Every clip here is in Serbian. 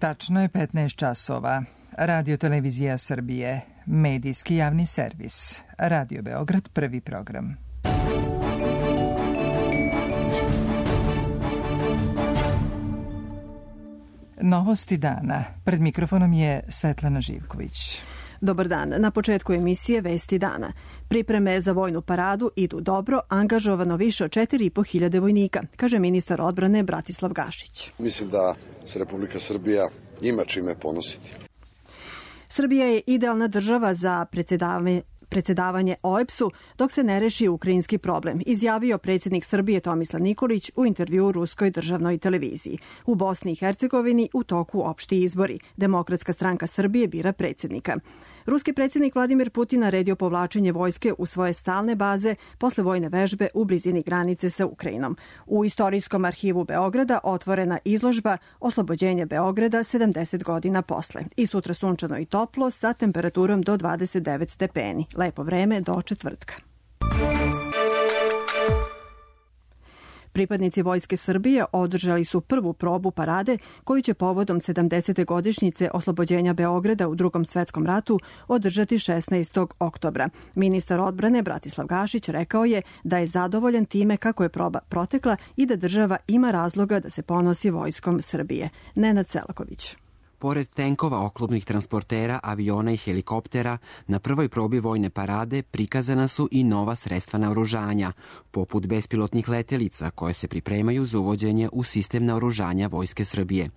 Tačno je 15 časova. Radio Televizija Srbije, medijski javni servis. Radio Beograd, prvi program. Novosti dana. Pred mikrofonom je Svetlana Živković. Dobar dan. Na početku emisije Vesti dana. Pripreme za vojnu paradu idu dobro, angažovano više od 4.500 vojnika, kaže ministar odbrane Bratislav Gašić. Mislim da se Republika Srbija ima čime ponositi. Srbija je idealna država za predsedavanje OEBS-u dok se ne reši ukrajinski problem, izjavio predsjednik Srbije Tomislav Nikolić u intervjuu ruskoj državnoj televiziji. U Bosni i Hercegovini u toku opšti izbori. Demokratska stranka Srbije bira predsjednika. Ruski predsjednik Vladimir Putin naredio povlačenje vojske u svoje stalne baze posle vojne vežbe u blizini granice sa Ukrajinom. U Istorijskom arhivu Beograda otvorena izložba Oslobođenje Beograda 70 godina posle. I sutra sunčano i toplo sa temperaturom do 29 stepeni. Lepo vreme do četvrtka. Pripadnici Vojske Srbije održali su prvu probu parade koju će povodom 70. godišnjice oslobođenja Beograda u Drugom svetskom ratu održati 16. oktobra. Ministar odbrane Bratislav Gašić rekao je da je zadovoljan time kako je proba protekla i da država ima razloga da se ponosi Vojskom Srbije. Nenad Selaković. Pored tenkova, oklopnih transportera, aviona i helikoptera, na prvoj probi vojne parade prikazana su i nova sredstva naoružanja, poput bespilotnih letelica koje se pripremaju za uvođenje u sistem naoružanja Vojske Srbije.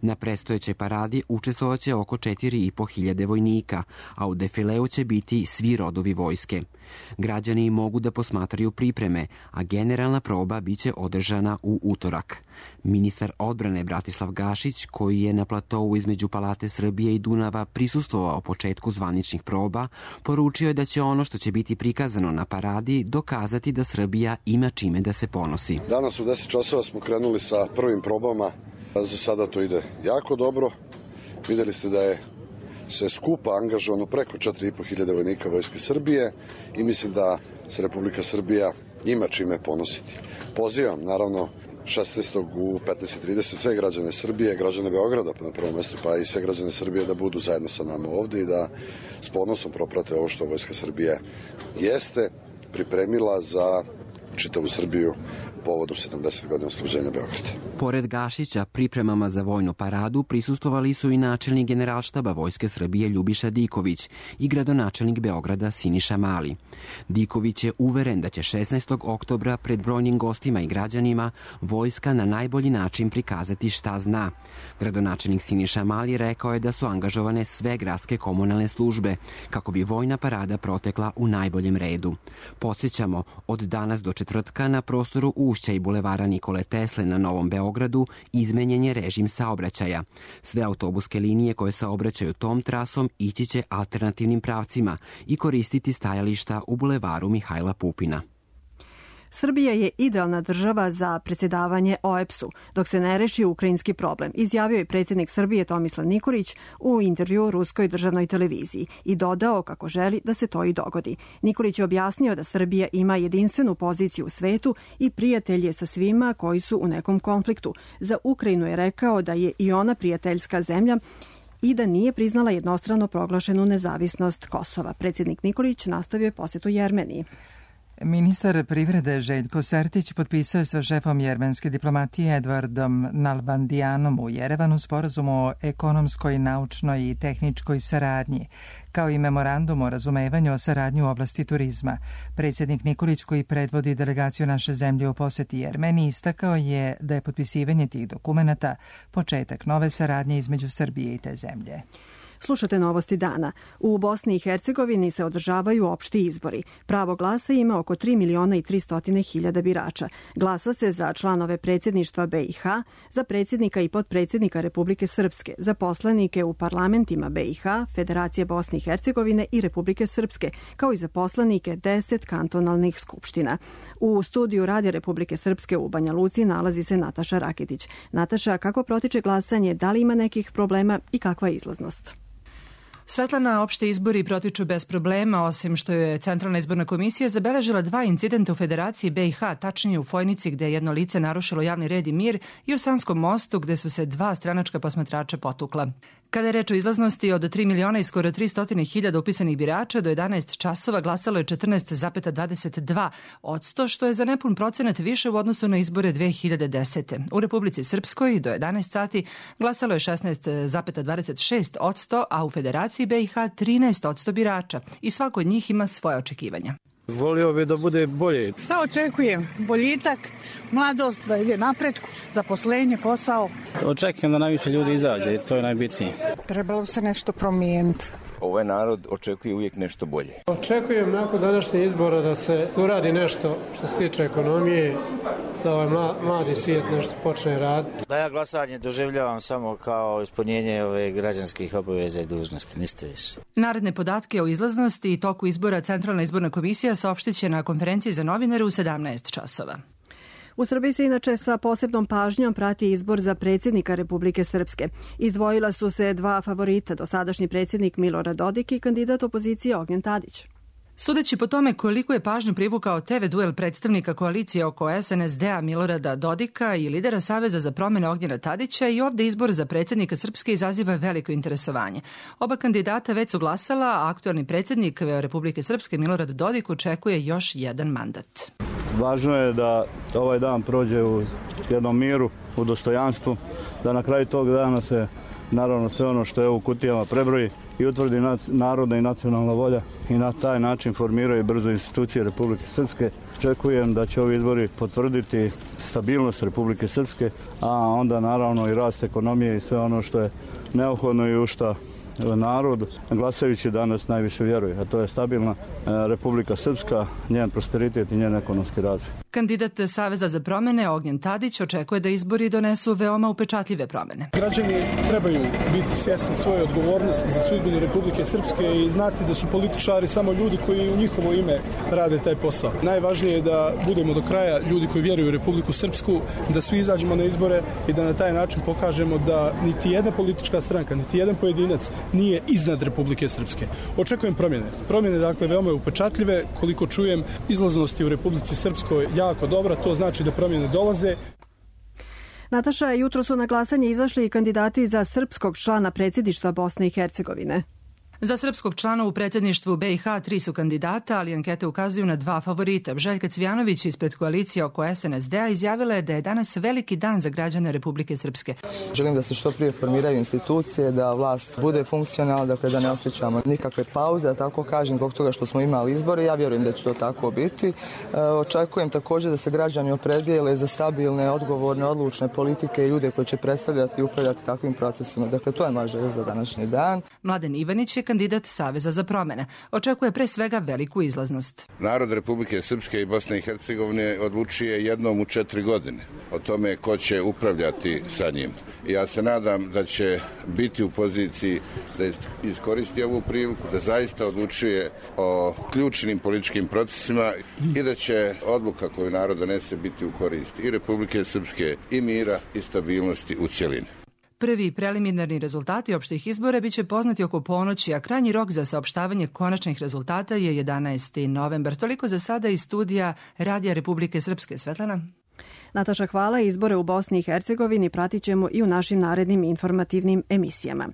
Na predstojećoj paradi učestvovaće oko 4.500 vojnika, a u defileu će biti svi rodovi vojske. Građani mogu da posmatraju pripreme, a generalna proba biće održana u utorak. Ministar odbrane Bratislav Gašić, koji je na platovu između Palate Srbije i Dunava prisustvovao početku zvaničnih proba, poručio je da će ono što će biti prikazano na paradi dokazati da Srbija ima čime da se ponosi. Danas u 10 časova smo krenuli sa prvim probama. Za sada to ide jako dobro. Videli ste da je sve skupa angažovano preko 4.500 vojnika Vojske Srbije i mislim da se Republika Srbija ima čime ponositi. Pozivam, naravno, 16. u 15.30 sve građane Srbije, građane Beograda na prvom mestu, pa i sve građane Srbije da budu zajedno sa nama ovde i da s ponosom proprate ovo što Vojska Srbije jeste pripremila za čitavu Srbiju povodom 70 godina oslobođenja Beograda. Pored Gašića, pripremama za vojnu paradu prisustvovali su i načelnik Generalštaba Vojske Srbije Ljubiša Diković i gradonačelnik Beograda Siniša Mali. Diković je uveren da će 16. oktobra pred brojnim gostima i građanima vojska na najbolji način prikazati šta zna. Gradonačelnik Siniša Mali rekao je da su angažovane sve gradske komunalne službe kako bi vojna parada protekla u najboljem redu. Podsjećamo, od danas do četvrtka na prostoru Ušća i bulevara Nikole Tesle na Novom Beogradu izmenjen je režim saobraćaja. Sve autobuske linije koje saobraćaju tom trasom ići će alternativnim pravcima i koristiti stajališta u bulevaru Mihajla Pupina. Srbija je idealna država za predsjedavanje OEBS-u dok se ne reši ukrajinski problem, izjavio je predsjednik Srbije Tomislav Nikolić u intervjuu ruskoj državnoj televiziji i dodao kako želi da se to i dogodi. Nikolić je objasnio da Srbija ima jedinstvenu poziciju u svetu i prijatelj je sa svima koji su u nekom konfliktu. Za Ukrajinu je rekao da je i ona prijateljska zemlja i da nije priznala jednostrano proglašenu nezavisnost Kosova. Predsjednik Nikolić nastavio je posjetu Jermeniji. Ministar privrede Željko Sertić potpisao je sa šefom jermenske diplomatije Edvardom Nalbandijanom u Jerevanu sporazum o ekonomskoj, naučnoj i tehničkoj saradnji, kao i memorandum o razumevanju o saradnji u oblasti turizma. Predsjednik Nikolić, koji predvodi delegaciju naše zemlje u poseti Jermeniji, istakao je da je potpisivanje tih dokumenata početak nove saradnje između Srbije i te zemlje. Slušate novosti dana. U Bosni i Hercegovini se održavaju opšti izbori. Pravo glasa ima oko 3.300.000 birača. Glasa se za članove predsjedništva BiH, za predsjednika i potpredsjednika Republike Srpske, za poslanike u parlamentima BiH, Federacije Bosne i Hercegovine i Republike Srpske, kao i za poslanike 10 kantonalnih skupština. U studiju Radija Republike Srpske u Banja Luci nalazi se Nataša Raketić. Nataša, kako protiče glasanje, da li ima nekih problema i kakva je izlaznost? Svetlana, opšte izbori protiču bez problema, osim što je Centralna izborna komisija zabeležila 2 incidenta u Federaciji BiH, tačnije u Fojnici gde je jedno lice narušilo javni red i mir i u Sanskom mostu gde su se 2 stranačka posmatrača potukla. Kada je reč o izlaznosti, od 3 miliona i skoro 300.000 upisanih birača do 11 časova glasalo je 14,22%, što je za nepun procenat više u odnosu na izbore 2010. U Republici Srpskoj do 11 sati glasalo je 16,26%, a u Federaciji BiH 13% birača i svako od njih ima svoje očekivanja. Volio bi da bude bolje. Šta očekujem? Boljitak, mladost, da ide napretku, zaposlenje, posao. Očekujem da najviše ljudi izađe i to je najbitnije. Trebalo se nešto promijeniti. Ovaj narod očekuje uvijek nešto bolje. Očekujem nakon današnjih izbora da se uradi nešto što se tiče ekonomije, da ovaj mladi svijet nešto počne raditi. Da ja glasanje doživljavam samo kao ispunjenje ove građanskih obaveza i dužnosti, ništa više. Naredne podatke o izlaznosti i toku izbora Centralna izborna komisija saopštit će na konferenciji za novinare u 17 časova. U Srbiji se inače sa posebnom pažnjom prati izbor za predsjednika Republike Srpske. Izdvojila su se 2 favorita, dosadašnji predsjednik Milorad Dodik i kandidat opozicije Ognjen Tadić. Sudeći po tome koliko je pažnju privukao TV duel predstavnika koalicije oko SNSD-a Milorada Dodika i lidera Saveza za promjene Ognjena Tadića, i ovde izbor za predsjednika Srpske izaziva veliko interesovanje. Oba kandidata već su glasala, a aktualni predsjednik Republike Srpske Milorad Dodik očekuje još jedan mandat. Važno je da ovaj dan prođe u jednom miru, u dostojanstvu, da na kraju tog dana se naravno sve ono što je u kutijama prebroji i utvrdi narodna i nacionalna volja i na taj način formiraju brzo institucije Republike Srpske. Očekujem da će ovi izbori potvrditi stabilnost Republike Srpske, a onda naravno i rast ekonomije i sve ono što je neophodno i u šta narod glasajući danas najviše vjeruje, a to je stabilna Republika Srpska, njen prosperitet i njen ekonomski razvoj. Kandidat Saveza za promjene Ognjen Tadić očekuje da izbori donesu veoma upečatljive promjene. Građani trebaju biti svjesni svoje odgovornosti za sudbinu Republike Srpske i znati da su političari samo ljudi koji u njihovo ime rade taj posao. Najvažnije je da budemo do kraja ljudi koji vjeruju u Republiku Srpsku, da svi izađemo na izbore i da na taj način pokažemo da niti jedna politička stranka, niti jedan pojedinac nije iznad Republike Srpske. Očekujem promjene. Promjene, dakle, veoma upečatljive. Koliko čujem, izlaznosti u Republici Srpskoj jako dobra, to znači da promjene dolaze. Nataša, jutro su na glasanje izašli i kandidati za srpskog člana predsjedništva Bosne i Hercegovine. Za srpskog člana u predsjedništvu BiH 3 su kandidata, ali ankete ukazuju na 2 favorita. Željka Cvijanović ispred koalicije oko SNSD-a izjavila je da je danas veliki dan za građane Republike Srpske. Želim da se što prije formiraju institucije, da vlast bude funkcionalna, dakle da ne osjećamo nikakve pauze, da tako kažem, zbog toga što smo imali izbore. Ja vjerujem da će to tako biti. Očekujem također da se građani opredijele za stabilne, odgovorne, odlučne politike i ljude koji će predstavljati i upravljati takvim procesima. Dakle, to je moja želja za današnji dan. Mladen Ivanić je kandidat Saveza za promjene. Očekuje pre svega veliku izlaznost. Narod Republike Srpske i Bosne i Hercegovine odlučuje jednom u 4 godine o tome ko će upravljati sa njim. Ja se nadam da će biti u poziciji da iskoristi ovu priliku, da zaista odlučuje o ključnim političkim procesima i da će odluka koju narod donese biti u korist i Republike Srpske i mira i stabilnosti u cjelini. Prvi preliminarni rezultati opštih izbora biće poznati oko ponoći, a krajnji rok za saopštavanje konačnih rezultata je 11. novembar. Toliko za sada iz studija Radija Republike Srpske. Svetlana. Nataša, hvala. Izbore u Bosni i Hercegovini pratit ćemo i u našim narednim informativnim emisijama.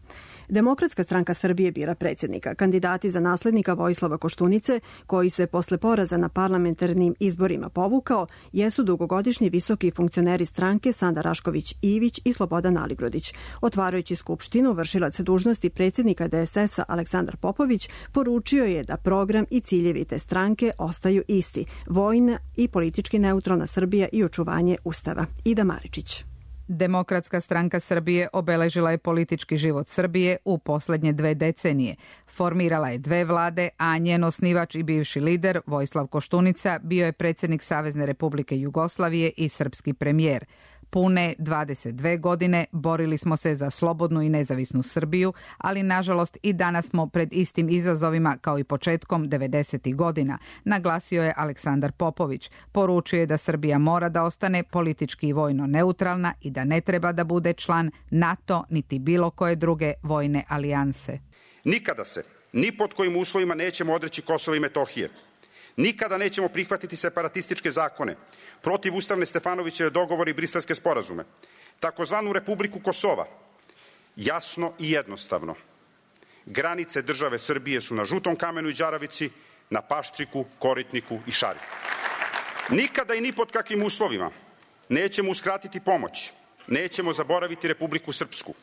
Demokratska stranka Srbije bira predsjednika. Kandidati za naslednika Vojislava Koštunice, koji se posle poraza na parlamentarnim izborima povukao, jesu dugogodišnji visoki funkcioneri stranke Sanda Rašković-Ivić i Slobodan Aligrodić. Otvarajući skupštinu, vršilac dužnosti predsjednika DSS-a Aleksandar Popović poručio je da program i ciljevi te stranke ostaju isti: vojna i politički neutralna Srbija i očuvanje Ustava. Ida Maričić. Demokratska stranka Srbije obeležila je politički život Srbije u posljednje 2 decenije. Formirala je 2 vlade, a njen osnivač i bivši lider Vojislav Koštunica bio je predsjednik Savezne Republike Jugoslavije i srpski premijer. Pune 22 godine borili smo se za slobodnu i nezavisnu Srbiju, ali nažalost i danas smo pred istim izazovima kao i početkom 90. godina, naglasio je Aleksandar Popović. Poručuje da Srbija mora da ostane politički i vojno neutralna i da ne treba da bude član NATO niti bilo koje druge vojne alijanse. Nikada se, ni pod kojim uslovima nećemo odreći Kosova i Metohije. Nikada nećemo prihvatiti separatističke zakone, protivustavne Stefanovićeve dogovore i briselske sporazume. Takozvanu Republiku Kosova, jasno i jednostavno, granice države Srbije su na Žutom kamenu i Đaravici, na Paštriku, Koritniku i Šari. Nikada i ni pod kakvim uslovima nećemo uskratiti pomoć, nećemo zaboraviti Republiku Srpsku.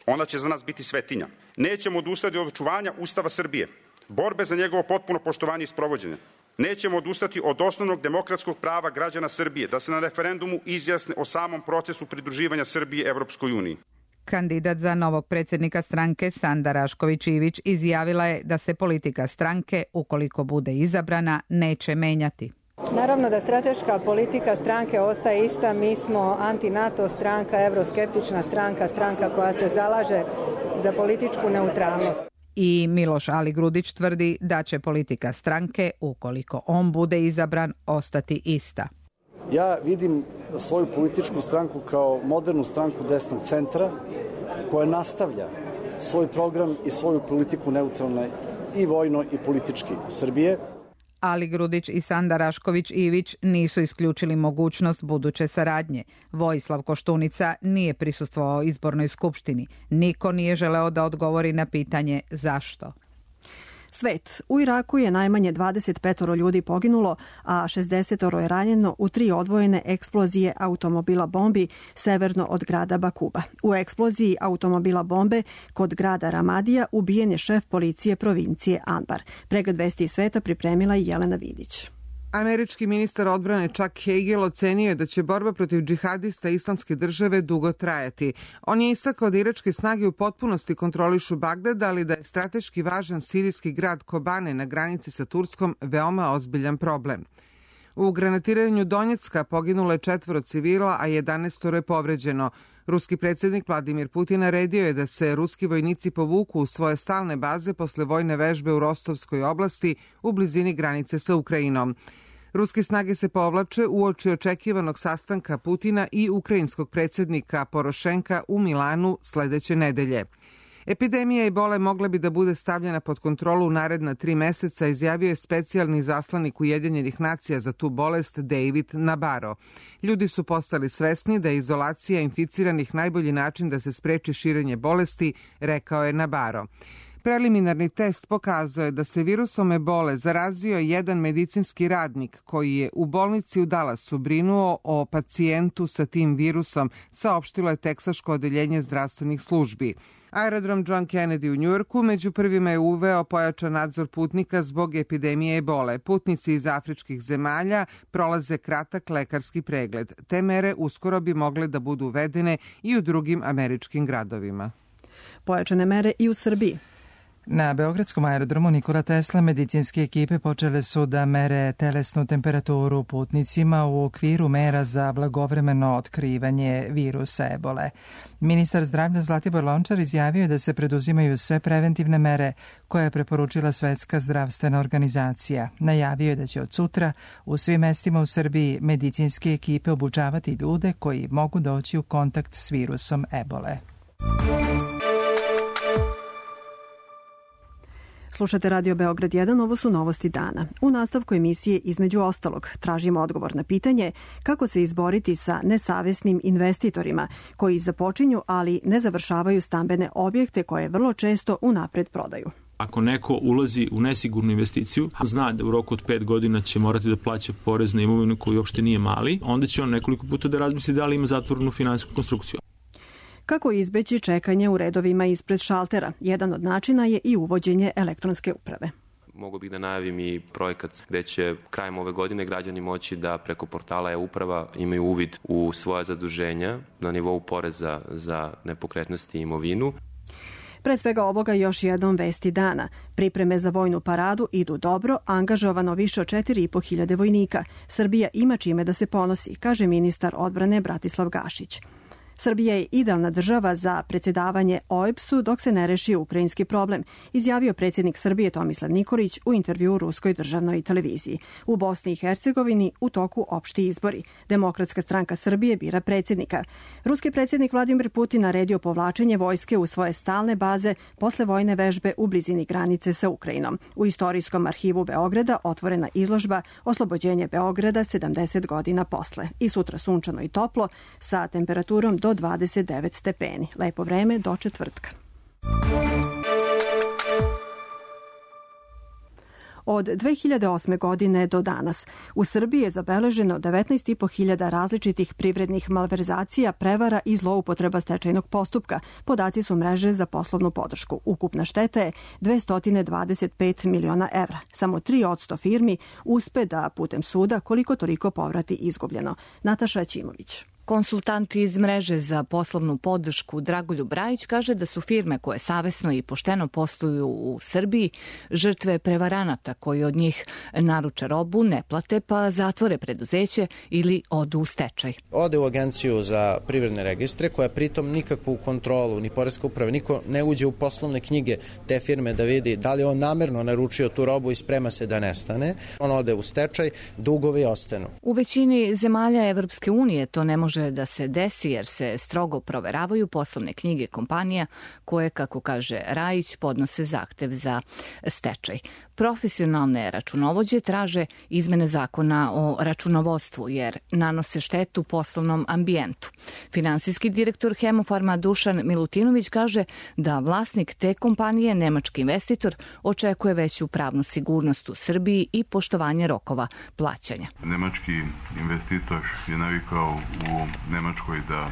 Ona će za nas biti svetinja. Nećemo odustati od očuvanja Ustava Srbije, borbe za njegovo potpuno poštovanje i sprovođenje. Nećemo odustati od osnovnog demokratskog prava građana Srbije da se na referendumu izjasne o samom procesu pridruživanja Srbije Evropskoj uniji. Kandidat za novog predsjednika stranke Sanda Rašković-Ivić izjavila je da se politika stranke, ukoliko bude izabrana, neće menjati. Naravno da strateška politika stranke ostaje ista. Mi smo anti-NATO stranka, evroskeptična stranka, stranka koja se zalaže za političku neutralnost. I Miloš Aligrudić tvrdi da će politika stranke, ukoliko on bude izabran, ostati ista. Ja vidim svoju političku stranku kao modernu stranku desnog centra koja nastavlja svoj program i svoju politiku neutralne i vojno i politički Srbije. Aligrudić i Sanda Rašković-Ivić nisu isključili mogućnost buduće saradnje. Vojislav Koštunica nije prisustvovao izbornoj skupštini. Niko nije želeo da odgovori na pitanje zašto. Svet. U Iraku je najmanje 25 ljudi poginulo, a 60 je ranjeno u 3 odvojene eksplozije automobila bombi severno od grada Bakuba. U eksploziji automobila bombe kod grada Ramadija ubijen je šef policije provincije Anbar. Pregled vesti iz sveta pripremila je Jelena Vidić. Američki ministar odbrane Chuck Hagel ocenio je da će borba protiv džihadista Islamske države dugo trajati. On je istakao da iračke snage u potpunosti kontrolišu Bagdad, ali da je strateški važan sirijski grad Kobane na granici sa Turskom veoma ozbiljan problem. U granatiranju Donjecka poginulo je 4 civila, a 11 je povređeno. Ruski predsjednik Vladimir Putin naredio je da se ruski vojnici povuku u svoje stalne baze posle vojne vežbe u Rostovskoj oblasti u blizini granice sa Ukrajinom. Ruske snage se povlače uoči očekivanog sastanka Putina i ukrajinskog predsjednika Porošenka u Milanu sledeće nedelje. Epidemija ebole mogla bi da bude stavljena pod kontrolu u naredna 3 meseca, izjavio je specijalni izaslanik Ujedinjenih nacija za tu bolest David Nabarro. Ljudi su postali svesni da je izolacija inficiranih najbolji način da se spreči širenje bolesti, rekao je Nabarro. Preliminarni test pokazao je da se virusom ebole zarazio jedan medicinski radnik koji je u bolnici u Dallasu brinuo o pacijentu sa tim virusom, saopštilo je Teksaško odeljenje zdravstvenih službi. Aerodrom John Kennedy u Njujorku među prvima je uveo pojačan nadzor putnika zbog epidemije ebole. Putnici iz afričkih zemalja prolaze kratak lekarski pregled. Te mere uskoro bi mogle da budu uvedene i u drugim američkim gradovima. Pojačane mere i u Srbiji. Na beogradskom aerodromu Nikola Tesla medicinske ekipe počele su da mere telesnu temperaturu putnicima u okviru mera za blagovremeno otkrivanje virusa ebole. Ministar zdravlja Zlatibor Lončar izjavio da se preduzimaju sve preventivne mere koje je preporučila Svetska zdravstvena organizacija. Najavio je da će od sutra u svim mestima u Srbiji medicinske ekipe obučavati ljude koji mogu doći u kontakt s virusom ebole. Slušate Radio Beograd 1, ovo su novosti dana. U nastavku emisije između ostalog tražimo odgovor na pitanje kako se izboriti sa nesavesnim investitorima koji započinju, ali ne završavaju stambene objekte koje vrlo često unapred prodaju. Ako neko ulazi u nesigurnu investiciju, zna da u roku od 5 godina će morati da plaća porez na imovinu koji uopšte nije mali, onda će on nekoliko puta da razmisli da li ima zatvorenu finansijsku konstrukciju. Kako izbeći čekanje u redovima ispred šaltera? Jedan od načina je i uvođenje elektronske uprave. Mogu bih da najavim i projekat gde će krajem ove godine građani moći da preko portala e-uprava imaju uvid u svoja zaduženja na nivou poreza za nepokretnosti i imovinu. Pre svega ovoga još jednom vesti dana. Pripreme za vojnu paradu idu dobro, angažovano više od 4.500 vojnika. Srbija ima čime da se ponosi, kaže ministar odbrane Bratislav Gašić. Srbija je idealna država za predsjedavanje OEBS-u dok se ne reši ukrajinski problem, izjavio predsjednik Srbije Tomislav Nikolić u intervjuu Ruskoj državnoj televiziji. U Bosni i Hercegovini u toku opšti izbori. Demokratska stranka Srbije bira predsjednika. Ruski predsjednik Vladimir Putin naredio povlačenje vojske u svoje stalne baze posle vojne vežbe u blizini granice sa Ukrajinom. U Istorijskom arhivu Beograda otvorena izložba Oslobođenje Beograda 70 godina posle. I sutra sunčano i toplo sa temperaturom do 29 stepeni. Lepo vreme do četvrtka. Od 2008. godine do danas u Srbiji je zabeleženo 19.500 različitih privrednih malverzacija, prevara i zloupotreba stečajnog postupka. Podaci su mreže za poslovnu podršku. Ukupna šteta je 225 miliona evra. Samo 3% firmi uspe da putem suda koliko toliko povrati izgubljeno. Nataša Ćimović. Konsultant iz mreže za poslovnu podršku Dragoljub Rajić kaže da su firme koje savesno i pošteno posluju u Srbiji žrtve prevaranata koji od njih naruče robu, ne plate pa zatvore preduzeće ili odu u stečaj. Ode u agenciju za privredne registre koja pritom nikakvu kontrolu ni poreska uprava, niko ne uđe u poslovne knjige te firme da vidi da li on namerno naručio tu robu i sprema se da nestane. On ode u stečaj, dugovi ostanu. U većini zemalja Evropske unije to ne može da se desi jer se strogo proveravaju poslovne knjige kompanija koje, kako kaže Rajić, podnose zahtev za stečaj. Profesionalne računovođe traže izmene zakona o računovodstvu jer nanose štetu poslovnom ambijentu. Finansijski direktor Hemofarma Dušan Milutinović kaže da vlasnik te kompanije, nemački investitor, očekuje veću pravnu sigurnost u Srbiji i poštovanje rokova plaćanja. Nemački investitor je navikao u Nemačkoj da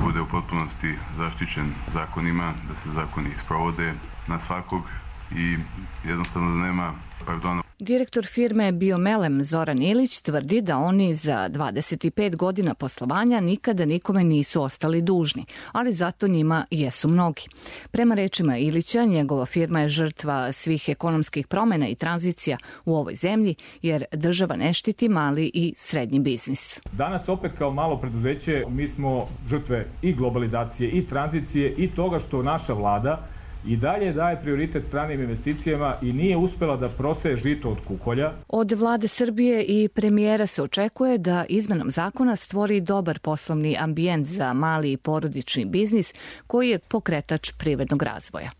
bude u potpunosti zaštićen zakonima, da se zakoni sprovode na svakog i jednostavno da nema pardona. Direktor firme Biomelem Zoran Ilić tvrdi da oni za 25 godina poslovanja nikada nikome nisu ostali dužni, ali zato njima jesu mnogi. Prema rečima Ilića, njegova firma je žrtva svih ekonomskih promjena i tranzicija u ovoj zemlji, jer država ne štiti mali i srednji biznis. Danas opet kao malo preduzeće mi smo žrtve i globalizacije i tranzicije i toga što naša vlada i dalje daje prioritet stranim investicijama i nije uspela da proseje žito od kukolja. Od vlade Srbije i premijera se očekuje da izmenom zakona stvori dobar poslovni ambijent za mali i porodični biznis koji je pokretač privrednog razvoja.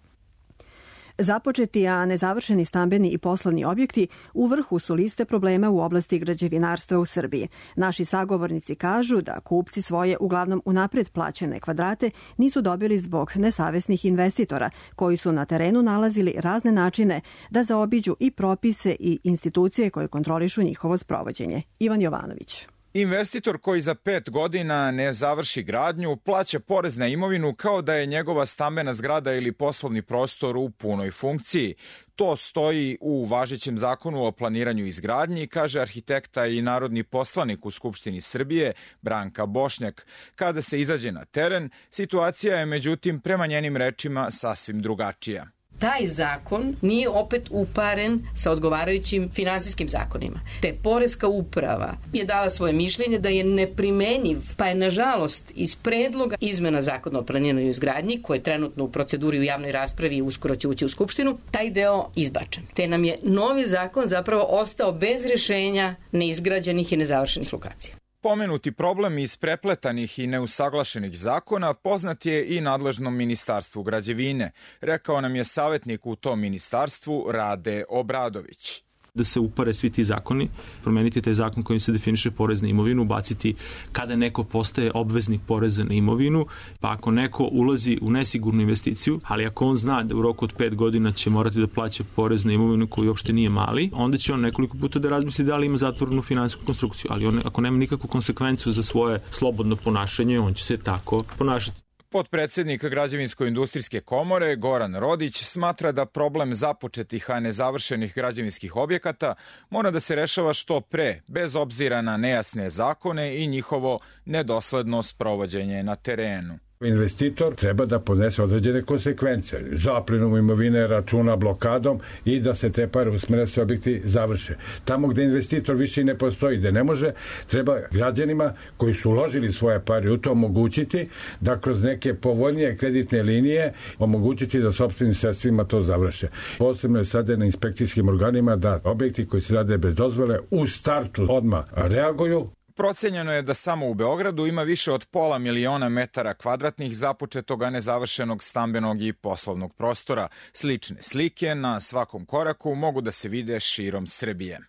Započeti, a nezavršeni stambeni i poslovni objekti u vrhu su liste problema u oblasti građevinarstva u Srbiji. Naši sagovornici kažu da kupci svoje uglavnom unapred plaćene kvadrate nisu dobili zbog nesavesnih investitora koji su na terenu nalazili razne načine da zaobiđu i propise i institucije koje kontrolišu njihovo sprovođenje. Ivan Jovanović. Investitor koji za 5 godina ne završi gradnju plaća porez na imovinu kao da je njegova stambena zgrada ili poslovni prostor u punoj funkciji. To stoji u važećem zakonu o planiranju i izgradnji, kaže arhitekta i narodni poslanik u Skupštini Srbije Branka Bošnjak. Kada se izađe na teren, situacija je međutim prema njenim rečima sasvim drugačija. Taj zakon nije opet uparen sa odgovarajućim finansijskim zakonima. Te poreska uprava je dala svoje mišljenje da je neprimenjiv, pa je nažalost iz predloga izmena zakona o planiranju i izgradnji, koje je trenutno u proceduri u javnoj raspravi i uskoro će ući u Skupštinu, taj deo izbačen. Te nam je novi zakon zapravo ostao bez rješenja neizgrađenih i nezavršenih lokacija. Pomenuti problem iz prepletanih i neusaglašenih zakona poznat je i nadležnom ministarstvu građevine, rekao nam je savjetnik u tom ministarstvu Rade Obradović. Da se upare svi ti zakoni, promeniti taj zakon kojim se definiše porez na imovinu, baciti kada neko postaje obveznik poreza na imovinu, pa ako neko ulazi u nesigurnu investiciju, ali ako on zna da u roku od 5 godina će morati da plaća porez na imovinu koji uopšte nije mali, onda će on nekoliko puta da razmisli da li ima zatvorenu finansijsku konstrukciju, ali on, ako nema nikakvu konsekvenciju za svoje slobodno ponašanje, on će se tako ponašati. Potpredsjednik Građevinsko-industrijske komore Goran Rodić smatra da problem započetih, a nezavršenih građevinskih objekata mora da se rešava što pre, bez obzira na nejasne zakone i njihovo nedosledno sprovođenje na terenu. Investitor treba da podnese određene konsekvence, zaplinom imovine, računa, blokadom i da se te pare usmere da se objekti završe. Tamo gde investitor više i ne postoji, gde ne može, treba građanima koji su uložili svoje pare u to omogućiti da kroz neke povoljnije kreditne linije omogućiti da sopstvenim sredstvima to završe. Posebno je sada na inspekcijskim organima da objekti koji se rade bez dozvole u startu odmah reaguju. Procenjeno je da samo u Beogradu ima više od 500.000 metara kvadratnih započetog, a nezavršenog stambenog i poslovnog prostora. Slične slike na svakom koraku mogu da se vide širom Srbije.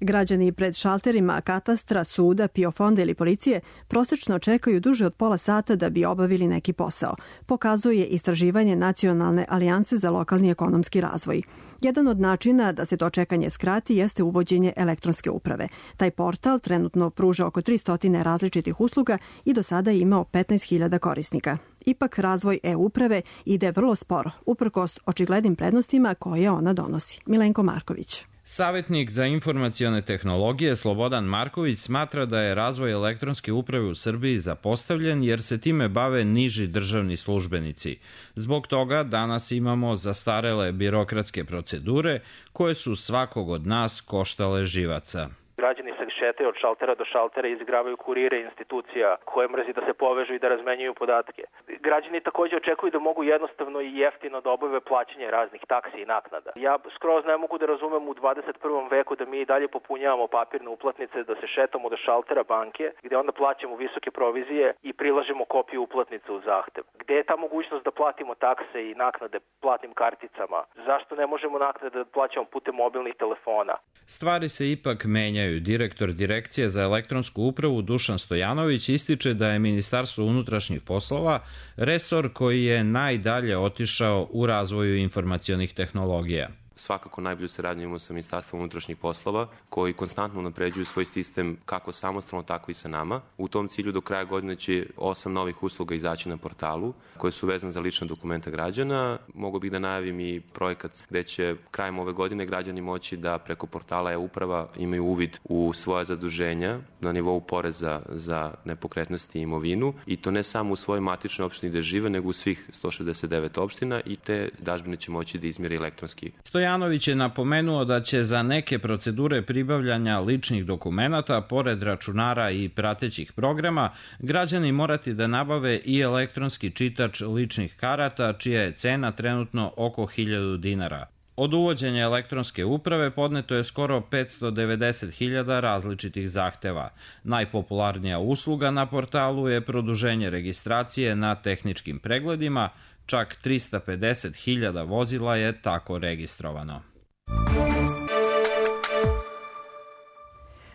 Građani pred šalterima katastra, suda, PIO fonda ili policije prosečno čekaju duže od pola sata da bi obavili neki posao, pokazuje istraživanje Nacionalne alijanse za lokalni ekonomski razvoj. Jedan od načina da se to čekanje skrati jeste uvođenje elektronske uprave. Taj portal trenutno pruža oko 300 različitih usluga i do sada je imao 15.000 korisnika. Ipak razvoj e-uprave ide vrlo sporo, uprkos očiglednim prednostima koje ona donosi. Milenko Marković. Savetnik za informacione tehnologije Slobodan Marković smatra da je razvoj elektronske uprave u Srbiji zapostavljen jer se time bave niži državni službenici. Zbog toga danas imamo zastarele birokratske procedure koje su svakog od nas koštale živaca. Građani se šetaju od šaltera do šaltera i izigravaju kurire institucija koje mrzi da se povežu i da razmenjuju podatke. Građani takođe očekuju da mogu jednostavno i jeftino da obave plaćanje raznih taksi i naknada. Ja skroz ne mogu da razumem u 21. veku da mi i dalje popunjavamo papirne uplatnice, da se šetamo do šaltera banke, gde onda plaćamo visoke provizije i prilažemo kopiju uplatnice u zahtev. Gde je ta mogućnost da platimo takse i naknade platnim karticama? Zašto ne možemo naknade da plaćamo putem mobilnih telefona? Stvari se ipak menjaju. Direktor Direkcije za elektronsku upravu Dušan Stojanović ističe da je Ministarstvo unutrašnjih poslova resor koji je najdalje otišao u razvoju informacionih tehnologija. Svakako najbolju saradnju imamo sa Ministarstvom unutrašnjih poslova, koji konstantno napređuju svoj sistem kako samostalno, tako i sa nama. U tom cilju do kraja godine će 8 novih usluga izaći na portalu, koje su vezane za lična dokumenta građana. Mogu bih da najavim i projekat gde će krajem ove godine građani moći da preko portala e-uprava imaju uvid u svoja zaduženja na nivou poreza za nepokretnosti i imovinu, i to ne samo u svojoj matičnoj opštini gde žive, nego u svih 169 opština, i te dažbine će moći da izmjeri elektronski. Stojanović je napomenuo da će za neke procedure pribavljanja ličnih dokumenata, pored računara i pratećih programa, građani morati da nabave i elektronski čitač ličnih karata, čija je cena trenutno oko 1.000 dinara. Od uvođenja elektronske uprave podneto je skoro 590.000 različitih zahteva. Najpopularnija usluga na portalu je produženje registracije na tehničkim pregledima, čak 350.000 vozila je tako registrovano.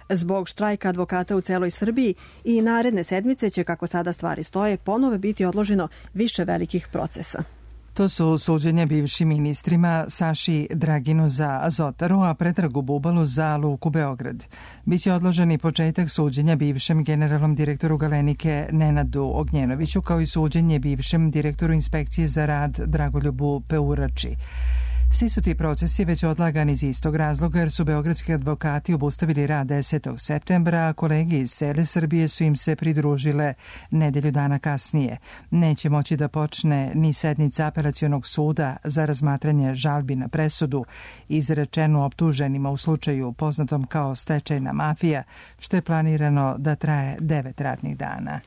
Zbog štrajka advokata u celoj Srbiji i naredne sedmice će, kako sada stvari stoje, ponovo biti odloženo više velikih procesa. To su suđenje bivšim ministrima Saši Draginu za Azotaru, a Predragu Bubalu za Luku Beograd. Biće odloženi početak suđenja bivšem generalnom direktoru Galenike Nenadu Ognjenoviću, kao i suđenje bivšem direktoru inspekcije za rad Dragoljubu Peurači. Svi su ti procesi već odlagani iz istog razloga jer su beogradski advokati obustavili rad 10. septembra, a kolege iz cele Srbije su im se pridružile nedelju dana kasnije. Neće moći da počne ni sednica apelacionog suda za razmatranje žalbi na presudu izrečenu optuženima u slučaju poznatom kao stečajna mafija, što je planirano da traje 9 radnih dana.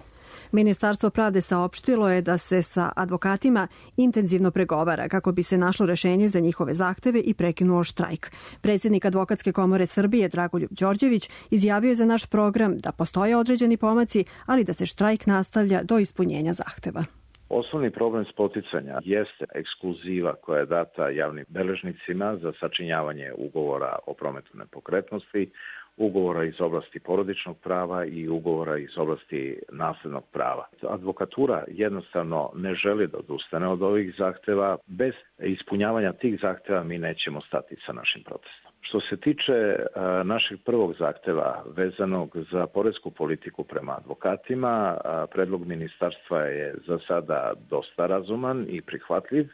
Ministarstvo pravde saopštilo je da se sa advokatima intenzivno pregovara kako bi se našlo rešenje za njihove zahteve i prekinuo štrajk. Predsjednik Advokatske komore Srbije Dragoljub Đorđević izjavio je za naš program da postoje određeni pomaci, ali da se štrajk nastavlja do ispunjenja zahteva. Osnovni problem spoticanja jeste ekskluziva koja je data javnim beležnicima za sačinjavanje ugovora o prometu nepokretnosti, ugovora iz oblasti porodičnog prava i ugovora iz oblasti naslednog prava. Advokatura jednostavno ne želi da odustane od ovih zahteva. Bez ispunjavanja tih zahteva mi nećemo stati sa našim protestom. Što se tiče našeg prvog zahteva vezanog za poresku politiku prema advokatima, predlog ministarstva je za sada dosta razuman i prihvatljiv,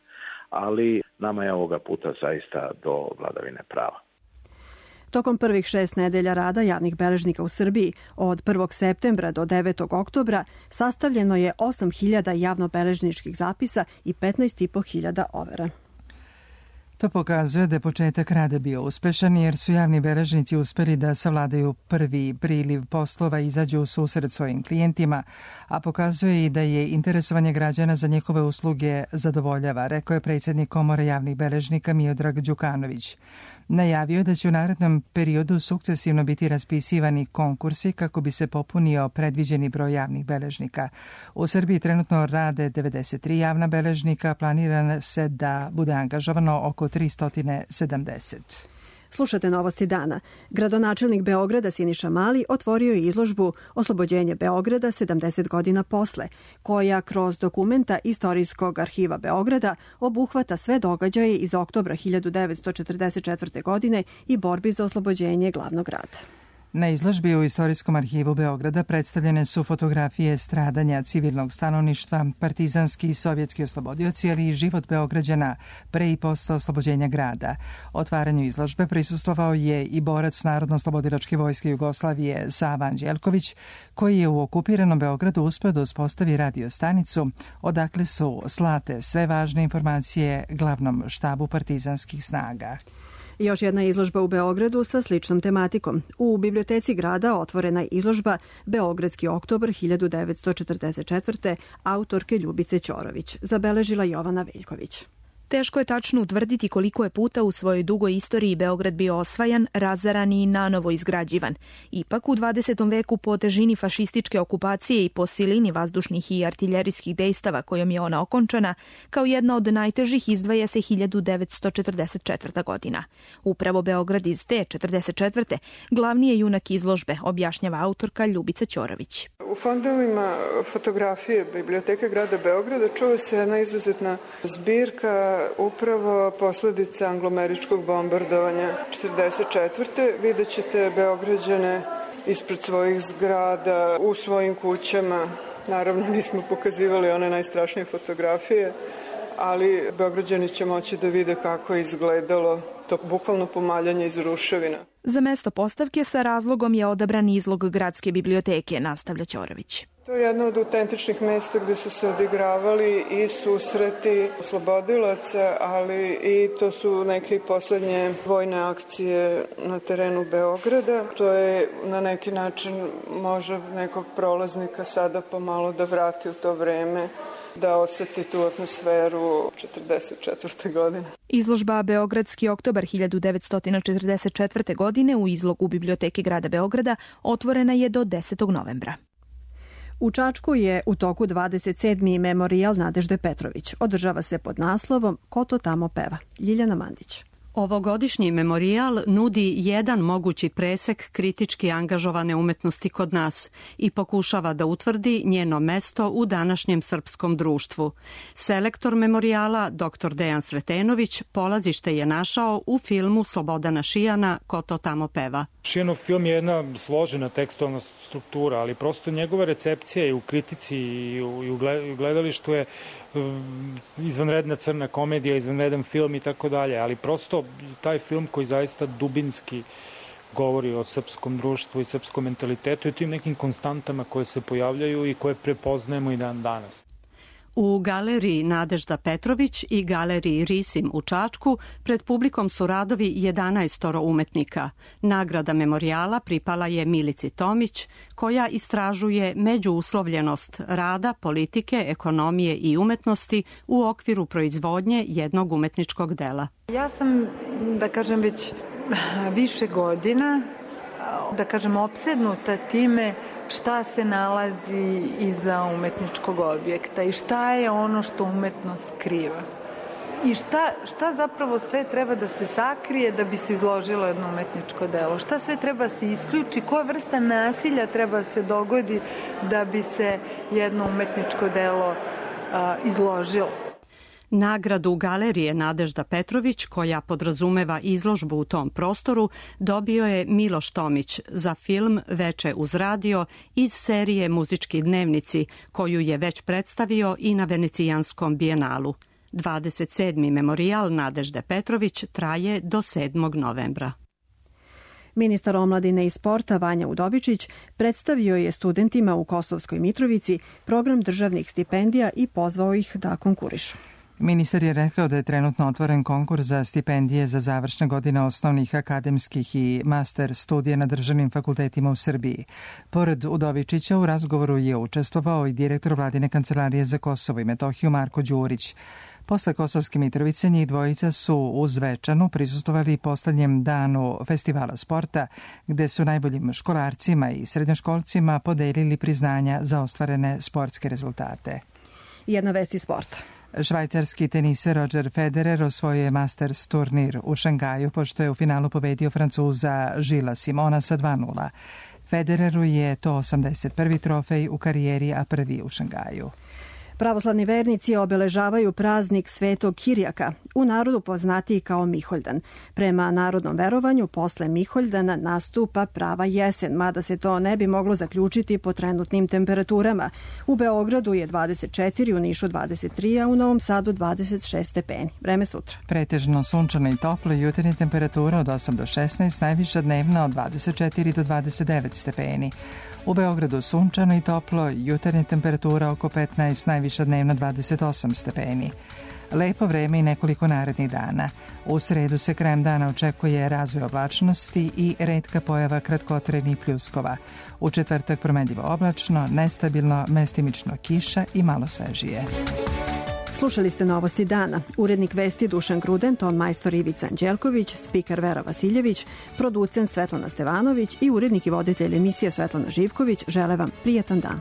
ali nama je ovoga puta zaista do vladavine prava. Tokom prvih 6 nedelja rada javnih beležnika u Srbiji od 1. septembra do 9. oktobra sastavljeno je 8.000 javnobeležničkih zapisa i 15.500 overa. To pokazuje da je početak rada bio uspešan jer su javni beležnici uspeli da savladaju prvi priliv poslova i izađu u susret svojim klijentima, a pokazuje i da je interesovanje građana za njihove usluge zadovoljava, rekao je predsjednik Komore javnih beležnika Miodrag Đukanović. Najavio je da će u narednom periodu sukcesivno biti raspisivani konkursi kako bi se popunio predviđeni broj javnih beležnika. U Srbiji trenutno rade 93 javna beležnika, planirano se da bude angažovano oko 370. Slušate novosti dana. Gradonačelnik Beograda Siniša Mali otvorio je izložbu Oslobođenje Beograda 70 godina posle, koja kroz dokumenta Istorijskog arhiva Beograda obuhvata sve događaje iz oktobra 1944. godine i borbi za oslobođenje glavnog grada. Na izložbi u Istorijskom arhivu Beograda predstavljene su fotografije stradanja civilnog stanovništva, partizanski i sovjetski oslobodioci, ali i život Beograđana pre i posle oslobođenja grada. Otvaranju izložbe prisustvovao je i borac Narodno-oslobodilačke vojske Jugoslavije Sava Anđelković, koji je u okupiranom Beogradu uspeo da uspostavi radio stanicu, odakle su slate sve važne informacije glavnom štabu partizanskih snaga. Još jedna izložba u Beogradu sa sličnom tematikom. U biblioteci grada otvorena je izložba Beogradski oktobar 1944. autorke Ljubice Ćorović, zabeležila Jovana Veljković. Teško je tačno utvrditi koliko je puta u svojoj dugoj istoriji Beograd bio osvajan, razaran i nanovo izgrađivan. Ipak u 20. veku po težini fašističke okupacije i po silini vazdušnih i artiljerijskih dejstava kojom je ona okončana, kao jedna od najtežih izdvaja se 1944. godina. Upravo Beograd iz te 44. glavni je junak izložbe, objašnjava autorka Ljubica Ćorović. U fondovima fotografije Biblioteke grada Beograda čuva se jedna izuzetna zbirka upravo posledica anglomeričkog bombardovanja 44. Vidjet ćete Beograđane ispred svojih zgrada, u svojim kućama. Naravno nismo pokazivali one najstrašnije fotografije, ali Beograđani će moći da vide kako je izgledalo to bukvalno pomaljanje iz ruševina. Za mesto postavke sa razlogom je odabran izlog Gradske biblioteke, nastavlja Ćorović. To je jedno od autentičnih mesta gde su se odigravali i susreti oslobodilaca, ali i to su neke poslednje vojne akcije na terenu Beograda. To je na neki način može nekog prolaznika sada pomalo da vrati u to vreme, da oseti tu atmosferu 44. godine. Izložba Beogradski oktobar 1944. godine u izlogu Biblioteke grada Beograda otvorena je do 10. novembra. U Čačku je u toku 27. memorijal Nadežde Petrović. Održava se pod naslovom Ko to tamo peva? Ljiljana Mandić. Ovogodišnji memorijal nudi jedan mogući presek kritički angažovane umetnosti kod nas i pokušava da utvrdi njeno mesto u današnjem srpskom društvu. Selektor memorijala, dr. Dejan Sretenović, polazište je našao u filmu Slobodana Šijana Ko to tamo peva. Šijanov film je jedna složena tekstualna struktura, ali prosto njegova recepcija i u kritici i u gledalištu je izvanredna crna komedija, izvanredan film i tako dalje, ali prosto taj film koji zaista dubinski govori o srpskom društvu i srpskom mentalitetu i tim nekim konstantama koje se pojavljaju i koje prepoznajemo i dan danas. U galeriji Nadežda Petrović i galeriji Risim u Čačku pred publikom su radovi 11 umetnika. Nagrada memorijala pripala je Milici Tomić, koja istražuje međuuslovljenost rada, politike, ekonomije i umetnosti u okviru proizvodnje jednog umetničkog dela. Ja sam, da kažem, već više godina, da kažem, opsednuta time šta se nalazi iza umetničkog objekta i šta je ono što umetnost skriva. I šta zapravo sve treba da se sakrije da bi se izložilo jedno umetničko delo? Šta sve treba da se isključi? Koja vrsta nasilja treba da se dogodi da bi se jedno umetničko delo izložilo? Nagradu galerije Nadežda Petrović, koja podrazumeva izložbu u tom prostoru, dobio je Miloš Tomić za film Veče uz radio iz serije Muzički dnevnici, koju je već predstavio i na Venecijanskom bijenalu. 27. memorijal Nadežde Petrović traje do 7. novembra. Ministar omladine i sporta Vanja Udovičić predstavio je studentima u Kosovskoj Mitrovici program državnih stipendija i pozvao ih da konkurišu. Ministar je rekao da je trenutno otvoren konkurs za stipendije za završne godine osnovnih akademskih i master studija na državnim fakultetima u Srbiji. Pored Udovičića u razgovoru je učestvovao i direktor Vladine kancelarije za Kosovo i Metohiju Marko Đurić. Posle Kosovske Mitrovice njih dvojica su u Zvečanu prisustvovali poslednjem danu festivala sporta, gde su najboljim školarcima i srednjoškolcima podelili priznanja za ostvarene sportske rezultate. Jedna vest iz sporta. Švajcarski teniser Roger Federer osvojio je Masters turnir u Šangaju, pošto je u finalu pobedio Francuza Žila Simona sa 2:0. Federeru je to 81. trofej u karijeri, a prvi u Šangaju. Pravoslavni vernici obeležavaju praznik Svetog Kirjaka, u narodu poznatiji kao Miholjdan. Prema narodnom verovanju, posle Miholjdana nastupa prava jesen, mada se to ne bi moglo zaključiti po trenutnim temperaturama. U Beogradu je 24, u Nišu 23, a u Novom Sadu 26 stepeni. Vreme sutra. Pretežno sunčano i toplo, jutarnja temperatura od 8 do 16, najviša dnevna od 24 do 29 stepeni. U Beogradu sunčano i toplo, jutarnja temperatura oko 15, najviša dnevna 28 stepeni. Lepo vreme i nekoliko narednih dana. U sredu se krajem dana očekuje razvoj oblačnosti i retka pojava kratkotrenih pljuskova. U četvrtak promenljivo oblačno, nestabilno, mestimično kiša i malo svežije. Slušali ste novosti dana. Urednik vesti Dušan Gruden, ton majstor Ivica Anđelković, spiker Vera Vasiljević, producent Svetlana Stevanović i urednik i voditelj emisije Svetlana Živković žele vam prijetan dan.